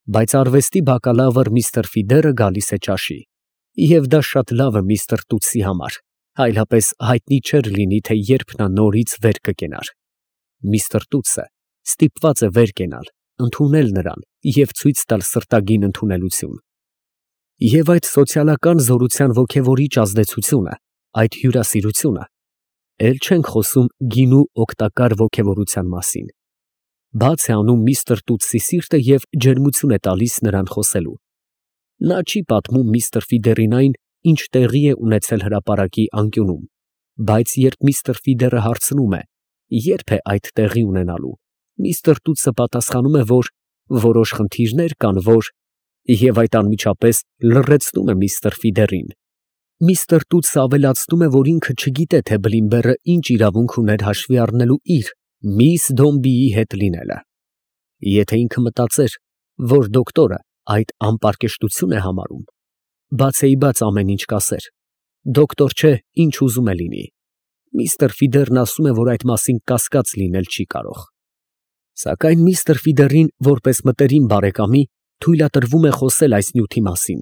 Բայց արվեստի բակալավր միստր Ֆիդերը գալիս է ճաշի, և դա շատ լավ է միստր Տուտսի համար, այլապես հայտնի չէր լինի, թե երբ նա նորից վեր կկենար։ Միստր Տուտսը ստիպված է վեր կենալ, ընդունել նրան և ցույց տալ սրտագին ընդունելություն։ Եվ այդ սոցիալական զորության ոգևորիչ ազդեցությունը, այդ հյուրասիրությունը, էլ չենք խոսում գինու օգտակար ոգևորության մասին, բաց է անում միստր Տուտսի սիրտը և ջերմություն է տալիս նրան խոսելու։ Նա չի պատմում միստր Ֆիդերին այն, ինչ տեղի է ունեցել հրապարակի անկյունում, բայց երբ միստր Ֆիդերը հարցնում է, երբ է այդ տեղի ունենալու, միստր Տուտսը պատասխանում է, որ որոշ խնդիրներ կան, և այդ անմիջապես լռեցնում է միստր Ֆիդերին։ Միստր Տուտսը ավելացնում է, որ ինքը չգիտե, թե Բլիմբերը ինչ իրավունք ուներ հաշվի առնելու իր միս Դոմբիի հետ լինելը։ Եթե ինքը մտածեր, որ դոկտորը այդ անպարկեշտություն է համարում, բացեիբաց ամեն ինչ կասեր. դոկտոր չէ, ինչ ուզում է լինի։ Միստր Ֆիդերն ասում է, որ այդ մասին կասկած լինել չի կարող։ Սակայն միստր Ֆիդերին, որպես մտերիմ բարեկամի, թույլատրվում է խոսել այս նյութի մասին,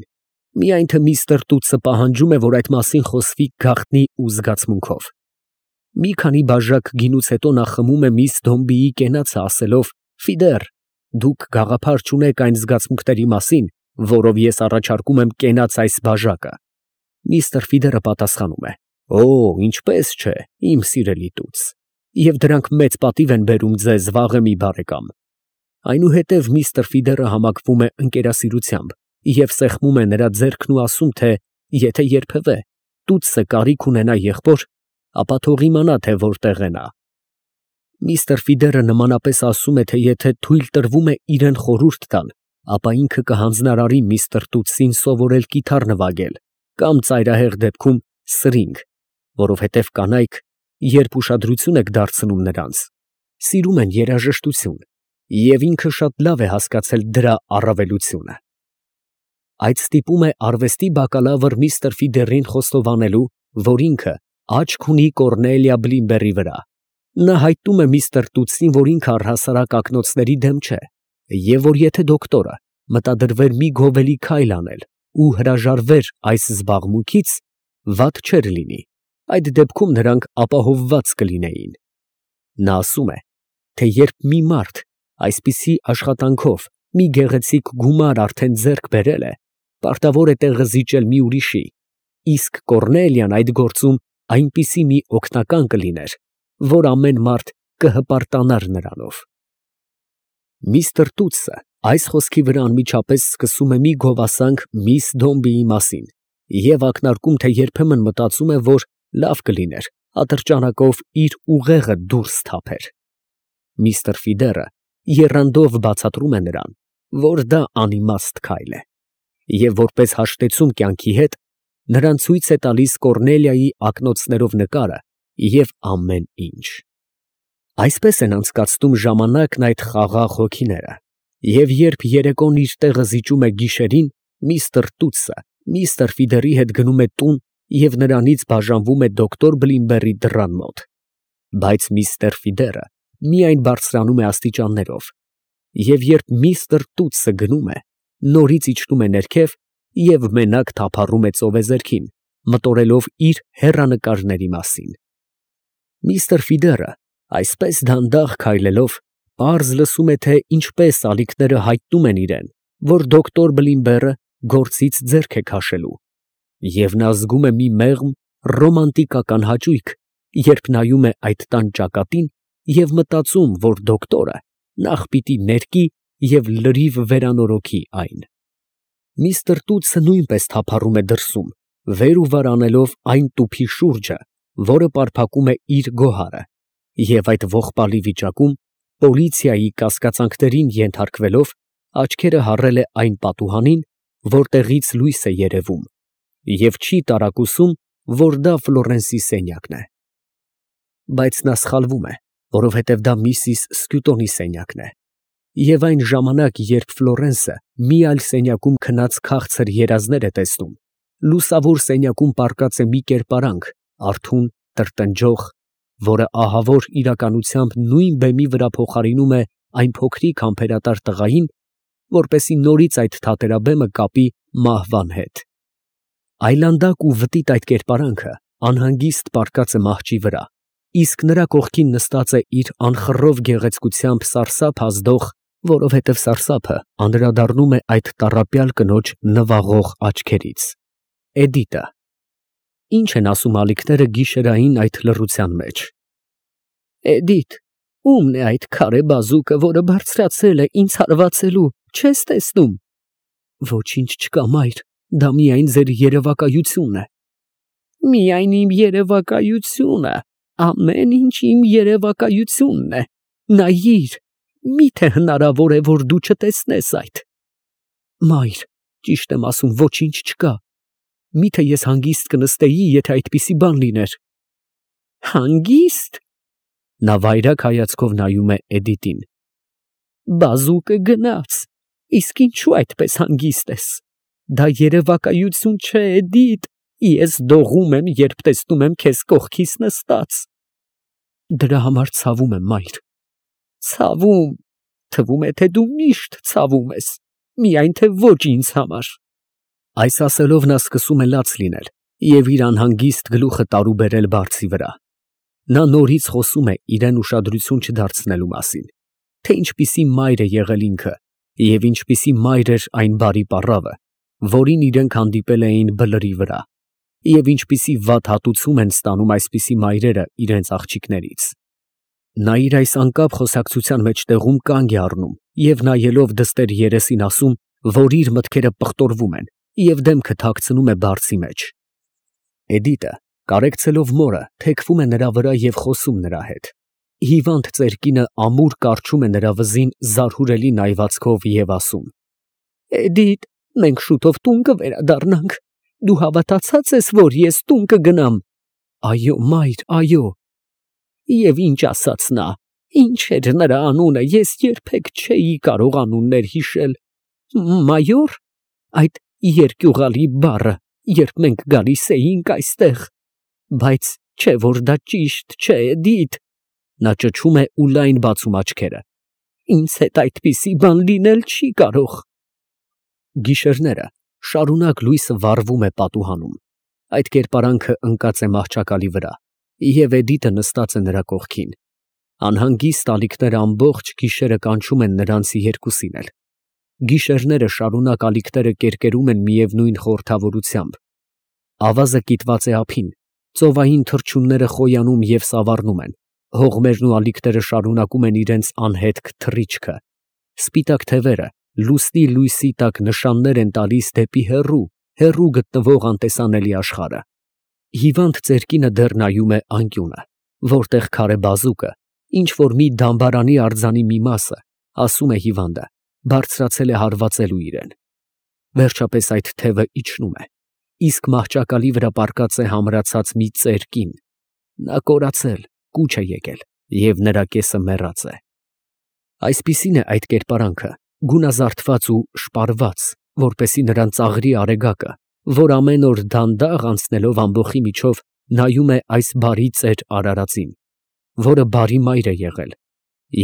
միայն թե միստր Տուտսը պահանջում է, որ այդ մասին խոսվի գաղտնի ու զգացմունքով։ Մի քանի բաժակ գինուց հետո նա խմում է միս Դոմբիի կենացը, ասելով. «Ֆիդեր, դուք գաղափար չունեք այն զգացմունքների մասին, որով ես առաջարկում եմ կենաց այս բաժակը»։ Միստր Ֆիդերը պատասխանում է. «Օ, ինչպես չէ, իմ սիրելի Տուտս, և դրանք մեծ պատիվ են բերում ձեզ, վաղեմի բարեկամ»։ Այնուհետև միստր Ֆիդերը համակվում է ընկերասիրությամբ և սեղմում է նրա ձեռքն ու ասում, թե եթե երբևէ Տուտսը կարիք ունենա եղբոր, ապա թող իմանա, թե որտեղ է նա։ Միստր Ֆիդերը նմանապես ասում է, թե եթե թույլ տրվում է իրեն խորհուրդ տալ, ապա ինքը կհանձնարարի միստր Տուտսին սովորել կիթառ նվագել կամ ծայրահեղ դեպքում սրինգ, որովհետև կանայք, երբ ուշադրություն եք դարձնում նրանց, սիրում են երաժշտություն, և ինքը շատ լավ է հասկացել դրա առավելությունը։ Այդ ստիպում է արվեստի բակալավր միստր Ֆիդերին խոստովանելու, որ ինքը աչք ունի Կոռնելիա Բլիմբերի վրա։ Նա հայտնում է միստր Տուտսին, որ ինքը առհասարակ ակնոցների դեմ չէ, և որ եթե դոկտորը մտադրվեր մի գովելի քայլ անել ու հրաժարվեր այս զբաղմունքից, վատ չէր լինի, այդ դեպքում նրանք ապահովված կլինեին։ Նա ասում է, թե երբ մի մարդ այսպիսի աշխատանքով մի գեղեցիկ գումար արդեն ձեռք բերել է, պարտավոր է տեղը զիջել մի ուրիշի, իսկ Կոռնելիան այդ գործում այնպիսի մի օգնական կլիներ, որ ամեն մարդ կհպարտանար նրանով։ Միստր Տուտսը այս խոսքի վրա անմիջապես սկսում է մի գովասանք միս Դոմբիի մասին և ակնարկում, թե երբեմն մտածում է, որ լավ կլիներ ատրճանակով իր ուղեղը դուրս թափեր։ Միստր Ֆիդերը եռանդով բացատրում է նրան, որ դա անիմաստ քայլ է, և որպես հաշտեցում կյանքի հետ, նրան ցույց է տալիս Կոռնելիայի ակնոցներով նկարը և ամեն ինչ։ Այսպես են անցկացնում ժամանակն այդ խաղաղ հոգիները, և երբ երեկոն իր տեղը զիջում է գիշերին, միստր Տուտսը միստր Ֆիդերի հետ գնում է տուն և նրանից բաժանվում է դոկտոր Բլիմբերի դռան մոտ։ Բայց միստր Ֆիդերը միայն բարձրանում է աստիճաններով, և երբ միստր Տուտսը գնում է, նորից իջնում է ներքև և մենակ թափառում է ծովեզերքին, մտորելով իր հեռանկարների մասին։ Միստր Ֆիդերը այսպես դանդաղ քայլելով պարզ լսում է, թե ինչպես ալիքները հայտնում են իրեն, որ դոկտոր Բլիմբերը գործից ձեռք է քաշելու, և նա զգում է մի մեղմ ռոմանտիկական հաճույք, երբ նայում է այդ տան ճակատին և մտածում, որ դոկտորը նախ պիտի ներկի և լրիվ վերանորոգի այն։ Միստր Տուտսը նույնպես թափառում է դրսում, վեր ու վար անելով այն տուփի շուրջը, որը պարփակում է իր գոհարը, և այդ ողբալի վիճակում, պոլիցիայի կասկածանքներին ենթարկվելով, աչքերը հառել է այն պատուհանին, որտեղից լույս է երևում, և չի տարակուսում, որ դա Ֆլորենսի սենյակն է։ Բայց նա սխալվում է, որովհետև դա միսիս Սկյուտոնի սենյակն է, և այն ժամանակ, երբ Ֆլորենսը մի այլ սենյակում քնած քաղցր երազներ է տեսնում, լուսավոր սենյակում պառկած է մի կերպարանք, արթուն, տրտնջող, որը ահավոր իրականությամբ նույն բեմի վրա փոխարինում է այն փոքրիկ համբերատար տղային, որպեսզի նորից այդ թատերաբեմը կապի մահվան հետ։ Այլանդակ ու վտիտ այդ կերպարանքը անհանգիստ պառկած է մահճի վրա, իսկ նրա կողքին նստած է իր անխռով գեղեցկությամբ սարսափ ազդող, որովհետև սարսափը անդրադառնում է այդ տառապյալ կնոջ նվաղող աչքերից։ Էդիտը։ Ինչ են ասում ալիքները գիշերային այդ լռության մեջ։ Էդիթ, ո՞ւմն է այդ քարե բազուկը, որը բարձրացել է ինձ հարվածելու, չես տեսնում։ Ոչինչ չկա, մայր, դա միայն ձեր երևակայությունն է։ Միայն իմ երևակայությունը, ամեն ինչ իմ երևակայությունն է։ Նայիր, միթե հնարավոր է, որ դու չտեսնես այդ։ Մայր, ճիշտ եմ ասում, ոչինչ չկա։ Միթե ես հանգիստ կնստեի, եթե այդպիսի բան լիներ։ Հանգիստ։ Նա վայրագ հայացքով նայում է Էդիտին։ Բազուկը գնաց, իսկ ինչու այդպես հանգիստ ես։ Դա երևակայություն չէ, Էդիտ, ես դողում եմ, երբ տեսնում եմ քեզ կողքիս նստած։ Դրա համար ցավում եմ, մայր։ Ցավում, թվում է, թե դու միշտ ցավում ես, միայն թե ոչ ինձ համար։ Այս ասելով նա սկսում է լաց լինել և իր անհանգիստ գլուխը տարուբերել բարձի վրա։ Նա նորից խոսում է իրեն ուշադրություն չդարձնելու մասին, թե ինչպիսի մայր է եղել ինքը և ինչպիսի մայր էր այն բարի պառավը, որին իրենք հանդիպել էին բլրի վրա, և ինչպիսի վատ հատուցում են ստանում այսպիսի մայրերը իրենց աղջիկներից։ Նա իր այս անկապ խոսակցության մեջտեղում կանգ է առնում և նայելով դստեր երեսին ասում, որ իր մտքերը պղտորվում են և դեմքը թաքցնում է բարձի մեջ։ Էդիտը, կարեկցելով մորը, թեքվում է նրա վրա և խոսում նրա հետ։ Հիվանդ ծերկինը ամուր կառչում է նրա վզին զարհուրելի նայվածքով և ասում. Էդիտ, մենք շուտով տուն կվերադառնանք։ Դու հավատացած ես, որ ես տուն կգնամ։ Այո, մայր, այո։ Եվ ինչ ասաց նա, ինչ էր նրա անունը, ես երբեք չէի կարող անուններ հիշել։ Մայո՞ր, այդ երկյուղալի բառը, երբ մենք գալիս էինք այստեղ։ Բայց չէ որ դա ճիշտ չէ, Էդիտ։ Նա ճչում է ու լայն բացում աչքերը։ Ինձ հետ այդպիսի բան լինել չի կարող։ Գիշերները շարունակ լույսը վառվում է պատուհանում։ Այդ կերպարանքը ընկած է մահճակալի վրա, և Էդիտը նստած է նրա կողքին։ Անհանգիստ ալիքները ամբողջ գիշերը կանչում են նրանց երկուսին էլ։ Գիշերները շարունակ ալիքները կերկերում են միևնույն խորհրդավորությամբ։ Ավազը կիտված է ափին, ծովային թռչունները խոյանում և սավառնում են, հողմերն ու ալիքները շարունակում են իրենց անհետք թռիչքը։ Սպիտակ թևերը լուսնի լույսի տակ նշաններ են տալիս դեպի հեռու գտնվող անտեսանելի աշխարհը։ Հիվանդ ծերկինը դեռ նայում է անկյունը, որտեղ քարե բազուկը, ինչ որ մի դամբարանի արձանի մի մասը, ասում է հիվանդը, բարձրացել է հարվածելու իրեն։ Վերջապես այդ թևը իջնում է, իսկ մահճակալի վրա պառկած է համրացած մի ծեր կին։ Նա կորացել, կուչ է եկել, և նրա կեսը մեռած է։ Այսպիսին է այդ կերպարանքը, գունազարդված ու շպարված, որպեսզի նրան ծաղրի արեգակը, որ ամեն օր դանդաղ անցնելով ամբոխի միջով նայում է այս բարի ծեր արարածին, որը բարի մայր է եղել,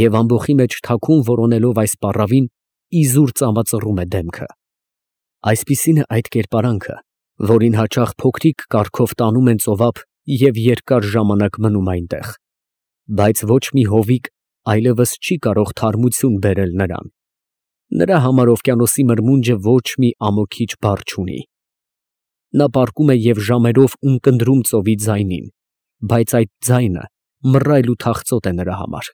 և ամբոխի մեջ թաքուն որոնելով այս պառավին, իզուր ծամածռում է դեմքը։ Այսպիսին է այդ կերպարանքը, որին հաճախ փոքրիկ կառքով տանում են ծովափ և երկար ժամանակ մնում այնտեղ, բայց ոչ մի հովիկ այլևս չի կարող թարմություն բերել նրան։ Նրա համար օվկիանոսի մրմունջը ոչ մի ամոքիչ բառ չունի։ Նա պառկում է և ժամերով ունկնդրում ծովի ձայնին, բայց այդ ձայնը մռայլ ու թախծոտ է նրա համար։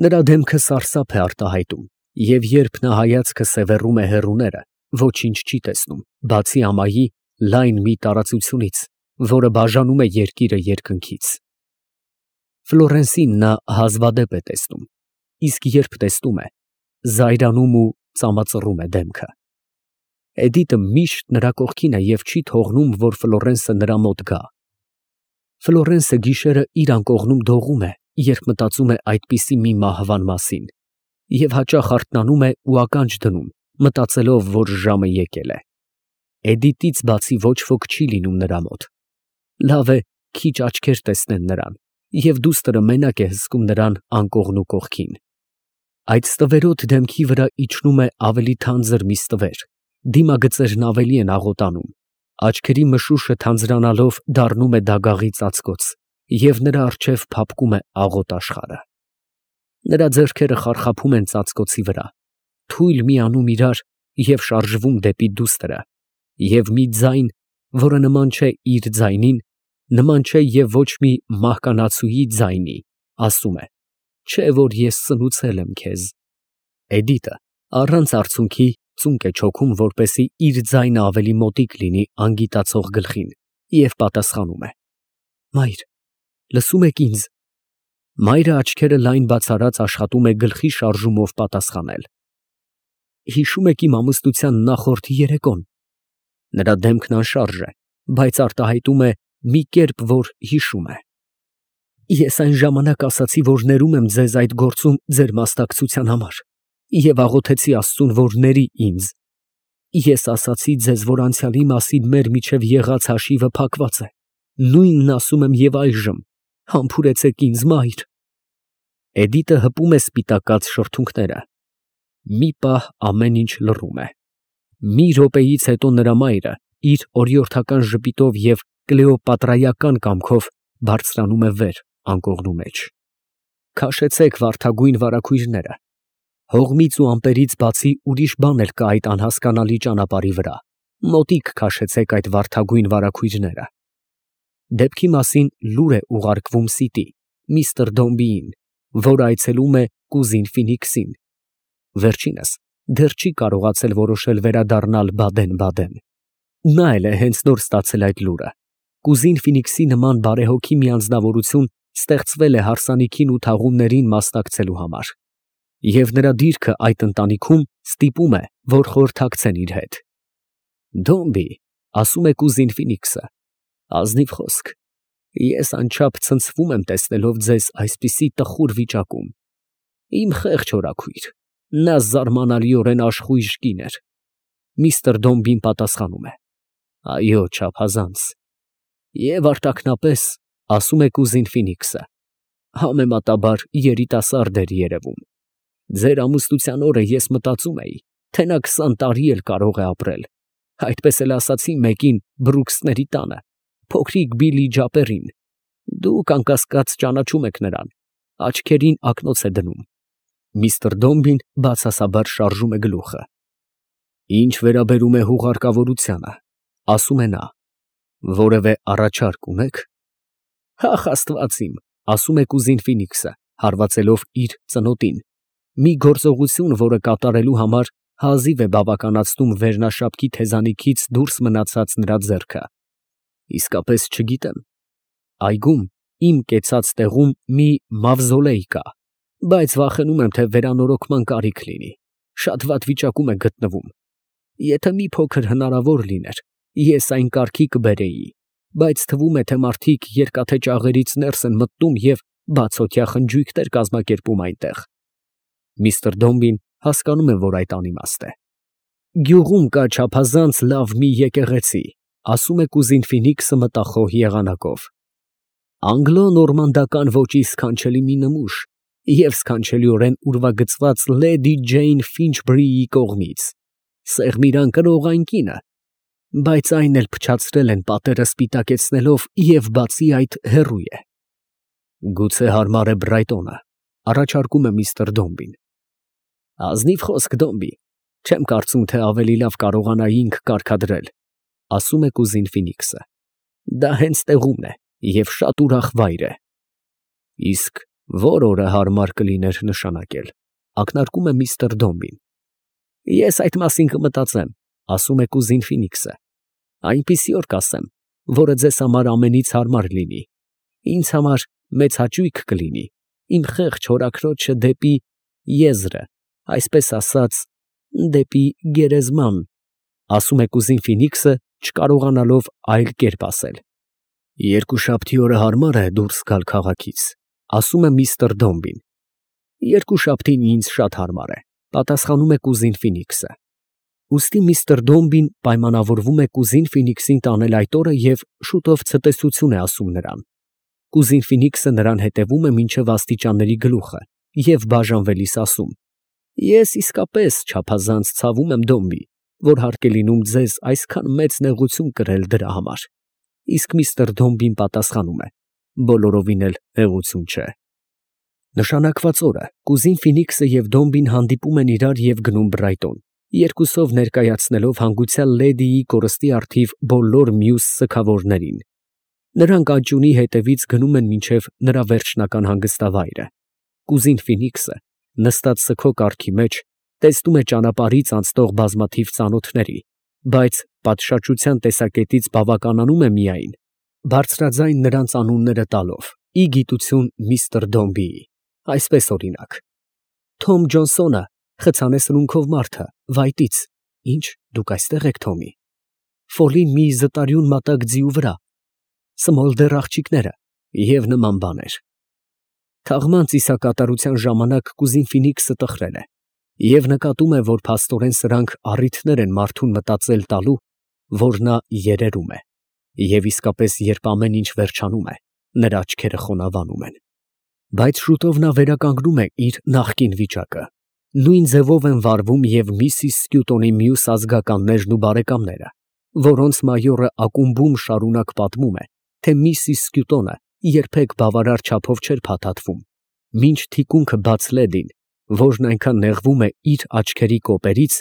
Նրա դեմքը սարսափ է արտահայտում, և երբ նա հայացքը սևեռում է հեռուները, ոչինչ չի տեսնում, բացի ամայի լայն մի տարածությունից, որը բաժանում է երկիրը երկնքից։ Ֆլորենսին նա հազվադեպ է տեսնում, իսկ երբ տեսնում է, զայրանում ու ծամածռում է դեմքը։ Էդիտը միշտ նրա կողքին է և չի թողնում, որ Ֆլորենսը նրա մոտ գա։ Ֆլորենսը գիշերը իր անկողնում դողում է, երբ մտածում է այդպիսի մի մահվան մասին, և հաճախ արթնանում է ու ականջ դնում, մտածելով, որ ժամը եկել է։ Էդիտից բացի ոչ ոք չի լինում նրա մոտ։ Լավ է, քիչ աչքեր տեսնեն նրան, և դուստրը մենակ է հսկում նրան անկողնու կողքին։ Այդ ստվերոտ դեմքի վրա իջնում է ավելի թանձր մի ստվեր, դիմագծերն ավելի են աղոտանում, աչքերի մշուշը թանձրանալով դառնում է դագաղի ծածկոց, և նրա առջև փափկում է աղոտ աշխարհը։ Նրա ձեռքերը խարխափում են ծածկոցի վրա, թույլ միանում իրար և շարժվում դեպի դուստրը, և մի ձայն, որը նման չէ իր ձայնին, նման չէ և ոչ մի մահկանացուի ձայնի, ասում է. «Չէ որ ես սնուցել եմ քեզ»։ Էդիտը առանց արցունքի ծունկ է չոքում, որպեսզի իր ձայնը ավելի մոտիկ լինի անգիտացող գլխին, և պատասխանում է. «Մայր, լսո՞ւմ եք ինձ»։ Մայրը աչքերը լայն բացարած աշխատում է գլխի շարժումով պատասխանել. «Հիշում եք իմ ամուսնության նախորդ երեկոն»։ Նրա դեմքն անշարժ է, բայց արտահայտում է մի կերպ, որ հիշում է։ «Ես այն ժամանակ ասացի, որ ներում եմ ձեզ այդ գործում ձեր մասնակցության համար և աղոթեցի Աստծուն, որ ների ինձ։ Ես ասացի ձեզ, որ անցյալի մասին մեր միջև եղած հաշիվը փակված է, նույնն ասում եմ և այժմ, համբուրեցեք ինձ, մայր»։ Էդիտը հպում է սպիտակած շրթունքները։ Մի պահ ամեն ինչ լռում է։ Մի րոպեից հետո նրա մայրը իր օրիորդական ժպիտով և կլեոպատրայական կամքով բարձրանում է վեր անկողնու մեջ։ Քաշեցեք վարդագույն վարագույրները։ Հողմից ու ամպերից բացի ուրիշ բան էլ կա այդ անհասկանալի ճանապարհի վրա։ Մոտիկ քաշեցեք այդ վարդագույն վարագույրները։ Դեպքի մասին լուր է ուղարկվում Սիտի, միստր Դոմբիին, որ այցելում է կուզին Ֆինիքսին։ Վերջինս դեռ չի կարողացել որոշել վերադառնալ Բադեն։ Նա էլ է հենց նոր ստացել այդ լուրը։ Կուզին Ֆինիքսի նման բարեհոգի մի անձնավորություն ստեղծվել է հարսանիքին ու թաղումներին մասնակցելու համար, և նրա դիրքը այդ ընտանիքում ստիպում է, որ խորհրդակցեն իր հետ։ «Դոմբի», ասում է կուզին Ֆինիքսը, «ազնիվ խոսք, ես անչափ ցնցվում եմ տեսնելով ձեզ այսպիսի տխուր վիճակում։ Իմ խեղճ հորաքույր, նա զարմանալիորեն աշխույժ կին էր»։ Միստր Դոմբին պատասխանում է. «Այո, չափազանց»։ «Եվ արտաքնապես», ասում է կուզին Ֆինիքսը, «համեմատաբար երիտասարդ էր երևում։ Ձեր ամուսնության օրը ես մտածում էի, թե նա 20 տարի էլ կարող է ապրել։ Այդպես էլ ասացի մեկին Բրուքսների տանը, փոքրիկ Բիլլի Ջապերին։ Դուք անկասկած ճանաչում եք նրան, աչքերին ակնոց է դնում»։ Միստր Դոմբին բացասաբար շարժում է գլուխը։ «Ինչ վերաբերում է հուղարկավորությանը», ասում է նա, «որևէ առաջարկ ունեք»։ «Հախ աստված իմ», ասում է կուզին Ֆինիքսը, հարվածելով իր ծնոտին, մի գործողություն, որը կատարելու համար հազիվ է բավականացնում վերնաշապքի թեզանիքից դուրս մնացած նրա ձեռքը։ «Իսկապես չգիտեմ։ Այգում, իմ կեցած տեղում մի մավզոլեյ կա, բայց վախենում եմ, թե վերանորոգման կարիք լինի, շատ վատ վիճակում է գտնվում։ Եթե մի փոքր հնարավոր լիներ, ես այն կարգի կբերեի, բայց թվում է, թե մարդիկ երկաթե ճաղերից ներս են մտնում և բացօթյա խնջույքներ կազմակերպում այնտեղ»։ Միստր Դոմբին հասկանում է, որ այդ անիմաստ է։ «Գյուղում կա չափազանց լավ մի եկեղեցի», ասում է կուզին Ֆինիքսը մտախոհ եղանակով։ «Անգլո֊նորմանդական ոճի սքանչելի մի նմուշ և սքանչելիորեն ուրվագծված լեդի Ջեյն Ֆինչբրիի կողմից, սեղմիրան կրող այն կինը, բայց այն էլ փչացրել են պատերը սպիտակեցնելով և բացի այդ հեռու է»։ «Գուցե հարմար է Բրայտոնը», առաջարկում է միստր Դոմբին։ «Ազնիվ խոսք, Դոմբի, չեմ կարծում, թե ավելի լավ կարողանայինք կարգադրել», ասում է կուզին Ֆինիքսը։ «Դա հենց տեղումն է և շատ ուրախ վայր է»։ «Իսկ ո՞ր օրը հարմար կլիներ նշանակել», ակնարկում է միստր Դոմբին։ «Ես այդ մասին կմտածեմ», ասում է կուզին Ֆինիքսը։ «Այնպիսի օր կասեմ, որը ձեզ համար ամենից հարմար լինի, ինձ համար մեծ հաճույք կլինի իմ խեղճ հորաքրոջը դեպի եզրը, այսպես ասած, դեպի գերեզման», ասում է կուզին Ֆինիքսը, չկարողանալով այլ կերպ ասել։ «Երկուշաբթի օրը հարմար է դուրս գալ քաղաքից», ասում է միստր Դոմբին։ «Երկուշաբթին ինձ շատ հարմար է», պատասխանում է կուզին Ֆինիքսը։ Ուստի միստր Դոմբին պայմանավորվում է կուզին Ֆինիքսին տանել այդ օրը և շուտով ցտեսություն է ասում նրան։ Կուզին Ֆինիքսը նրան հետևում է մինչև աստիճանների գլուխը և բաժանվելիս ասում. Ես իսկապես չափազանց ցավում եմ, Դոմբի, որ հարկ է լինում ձեզ այսքան մեծ նեղություն կրել դրա համար։ Իսկ միստր Դոմբին պատասխանում է. բոլորովին էլ նեղություն չէ։ Նշանակված օրը կուզին Ֆինիքսը և Դոմբին հանդիպում են իրար և գնում Բրայտոն, երկուսով ներկայացնելով հանգուցյալ լեդիի կորստի առթիվ բոլոր մյուս սգավորներին։ Նրանք աճյունի հետևից գնում են մինչև նրա վերջնական հանգստավայրը։ Կուզին Ֆինիքսը, նստած սգո կառքի մեջ, տեսնում է ճանապարհից անցնող բազմաթիվ ծանոթների, բայց պատշաճության տեսակետից բավականանում է միայն բարձրաձայն նրանց անունները տալով, ի գիտություն միստր Դոմբիի, այսպես օրինակ. Թոմ Ջոնսոնը, խցանե սնունքով մարդը, Վայտից, ինչ, դուք այստեղ եք, Թոմի։ Ֆոլին մի զտարյուն մատակ ձիու վրա, Սմոլդեր աղջիկները և նման բաներ։ Թաղման ծիսակատարության ժամանակ կուզին Ֆինիքսը տխրել է և նկատում է, որ փաստորեն սրանք առիթներ են մարդուն մտածել տալու, որ նա երերում է, և իսկապես երբ ամեն ինչ վերջանում է, նրա աչքերը խոնավանում են։ Բայց շուտով նա վերականգնում է իր նախկին վիճակը։ Նույն ձևով են վարվում և միսիս Սկյուտոնի մյուս ազգականներն ու բարեկամները, որոնց մայորը ակումբում շարունակ պատմում է, թե միսիս Սկյուտոնը երբեք բավարար չափով չէր փաթաթվում, մինչ թիկունքը բաց լեդին, որն այնքան նեղվում է իր աչքերի կոպերից,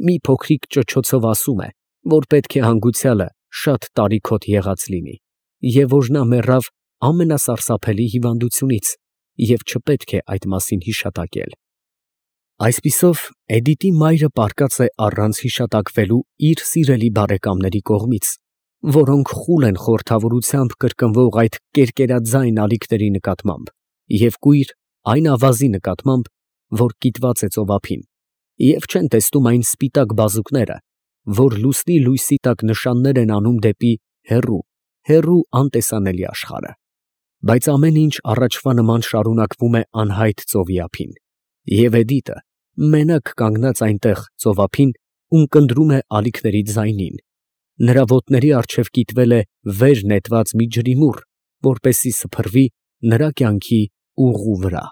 մի փոքրիկ ճչոցով ասում է, որ պետք է հանգուցյալը շատ տարիքոտ եղած լինի, և որ նա մեռավ ամենասարսափելի հիվանդությունից, և չպետք է այդ մասին հիշատակել։ Այսպիսով, Էդիտի մայրը պառկած է առանց հիշատակվելու իր սիրելի բարեկամների կողմից, որոնք խուլ են խորհրդավորությամբ կրկնվող այդ կերկերաձայն ալիքների նկատմամբ և կույր այն ավազի նկատմամբ, որ կիտված է ծովափին, և չեն տեսնում այն սպիտակ բազուկները, որ լուսնի լույսի տակ նշաններ են անում դեպի հեռու, հեռու անտեսանելի աշխարհը։ Բայց ամեն ինչ առաջվա նման շարունակվում է անհայտ ծովի ափին, և Էդիտը մենակ կանգնած այնտեղ ծովափին, ունկնդրում է ալիքների ձայնին, նրա ոտների առջև կիտվել է վեր նետված մի ջրիմուռ, որպեսզի սփռվի նրա կյանքի ուղու վրա։